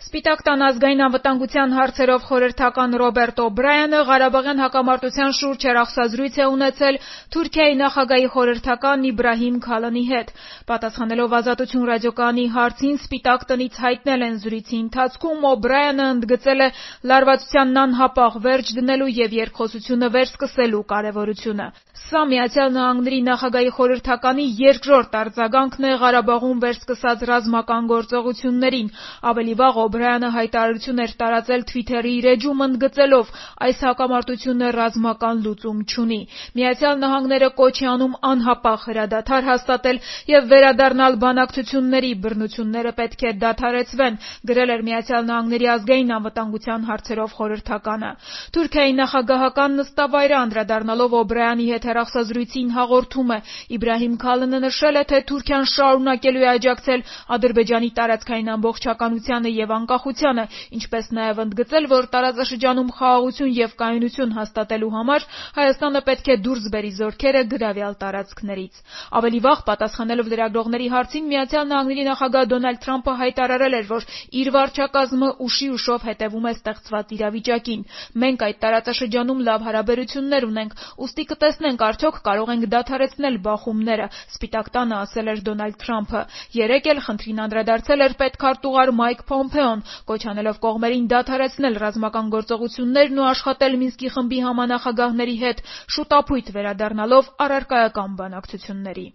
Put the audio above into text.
Սպիտակ տան ազգային անվտանգության հարցերով խորհրդական Ռոբերտ Օբրայանը Ղարաբաղյան հակամարտության շուրջ հեռախոսազրույց է ունեցել Թուրքիայի նախագահի խորհրդական Իբրահիմ Քալանի հետ։ Պատասխանելով Ազատություն ռադիոկայանի հարցին Սպիտակ տնից հայտնել են զրույցի ընթացքում, Օբրայանը ընդգծել է լարվածությանն անհապաղ վերջ դնելու եւ երկխոսությունը վերսկսելու կարեւորությունը։ Սա Միացյալ Նահանգների նախագահի խորհրդականի երկրորդ արձագանքն է Ղարաբաղում վերսկսած ռազմական գործողություններին։ Ավելի վաղ Օբրայանը հայտարարություն էր տարածել Twitter-ի իր էջում ընդգծելով այս հակամարտությունը ռազմական լուծում չունի։ Միացյալ Նահանգները կոչ է անում անհապաղ հրադադար հաստատել եւ վերադառնալ բանակցությունների, բռնությունները պետք է դադարեցվեն, գրել էր Միացյալ Նահանգների ազգային անվտանգության հարցերով խորհրդականը։ Թուրքիայի նախագահական նստավայրը անդրադառնալով Օբրայանի հետ հեռախոսազրույցին հաղորդում է. Իբրահիմ Քալանը նշել է, թե Թուրքիան շարունակելու է աջակցել Ադրբեջանի տարածքային ամբողջականությանը եւ անկախությանը, ինչպես նաեւ ընդգծել, որ տարածաշրջանում խաղաղություն եւ կայունություն հաստատելու համար Հայաստանը պետք է դուրս բերի զորքերը գրավյալ տարածքներից։ Ավելի վաղ պատասխանելով լրագրողների հարցին Միացյալ Նահանգների նախագահ Դոնալդ Թրամփը հայտարարել էր, որ իր վարչակազմը ուշի ուշով հետևում է ստեղծված իրավիճակին։ Մենք այդ տարածաշրջանում լավ հարաբերություններ ունենք, ուստի կտեսնենք արդյոք կարող ենք դադարեցնել բախումները, Սպիտակ տանը ասել էր Դոնալդ Թրամփը։ Երեկ էլ խնդրին անդրադարձել էր պետքարտուղար Մայք Փոմփեոն, կոչ անելով կողմերին դադարեցնել ռազմական գործողություններն ու աշխատել Մինսկի խմբի համանախագահների հետ, շուտապույտ վերադառնալով առարկայական բանակցությունների։